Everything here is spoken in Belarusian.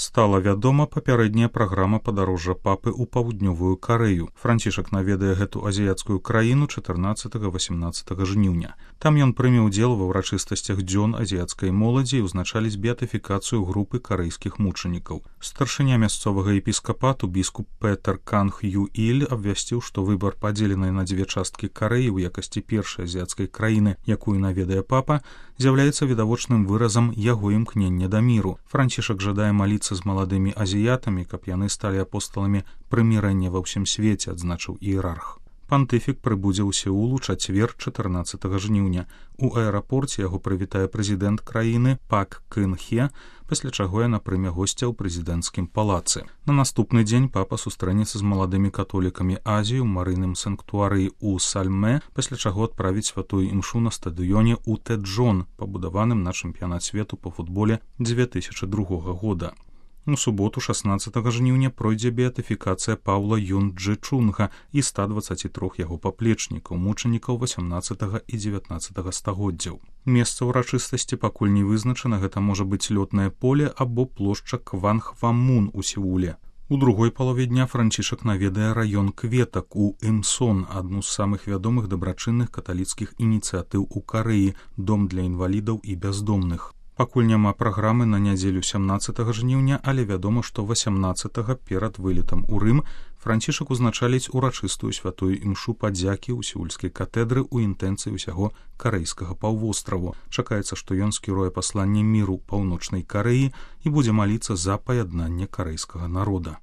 Стала вядома папярэдняя праграма падарожжа папы ў паўднёвую Карэю. Францішак наведае гэту азіяцкую краіну 14-18 жніўня. Там ён прыме ўдзел ва ўрачыстасцях дзён азіяцкай моладзі і ўзначаліць беатыфікацыю групы карэйскіх мучанікаў. Старшыня мясцовага епіскапату біскуп Петер Канг Юіль абвясціў, што выбар падзеленай на дзве часткі Карэі ў якасці першай азіяцкай краіны, якую наведае папа, з'яўляецца відавочным выразам яго імкнення да міру. Францішак жадае маліцца з маладымі азіятамі, каб яны сталі апостоламі прымірэння ва ўсім свеце, адзначыў іерарх. Пантыфік прыбудзе ў Сеул у чацвер 14 жніўня. У аэрапорце яго прывітае прэзідэнт краіны Пак Кын Хе, пасля чаго яна прыме госця ў прэзідэнцкім палацы. На наступны дзень папа сустрэнецца з маладымі католікамі Азіі ў марыйным санктуарыі ў Сальмэ, пасля чаго адправіць святую імшу на стадыёне ў Тэджон, пабудаваным на чэмпіянат свету па футболе 2002 года. У суботу 16 жніўня пройдзе беатыфікацыя Паўла Юн Джы Чунга і 123 яго паплечнікаў, мучанікаў 18 і 19 стагоддзяў. Месца ўрачыстасці пакуль не вызначана, гэта можа быць лётнае поле або плошча Кванхвамун у Сеуле. У другой палове дня Францішак наведае раён Кветак у Імсон, адну з самых вядомых дабрачынных каталіцкіх ініцыятыў у Карэі, дом для інвалідаў і бяздомных. Пакуль няма праграмы на нядзелю 17 жніўня, але вядома, што 18 перад вылетам у Рым Францішак узначаліць урачыстую святую імшу падзякі ў сеульскай катэдры ў інтэнцыі ўсяго карэйскага паўвостраву. Чакаецца, што ён скіруе пасланне міру паўночнай Карэі і будзе маліцца за паяднанне карэйскага народа.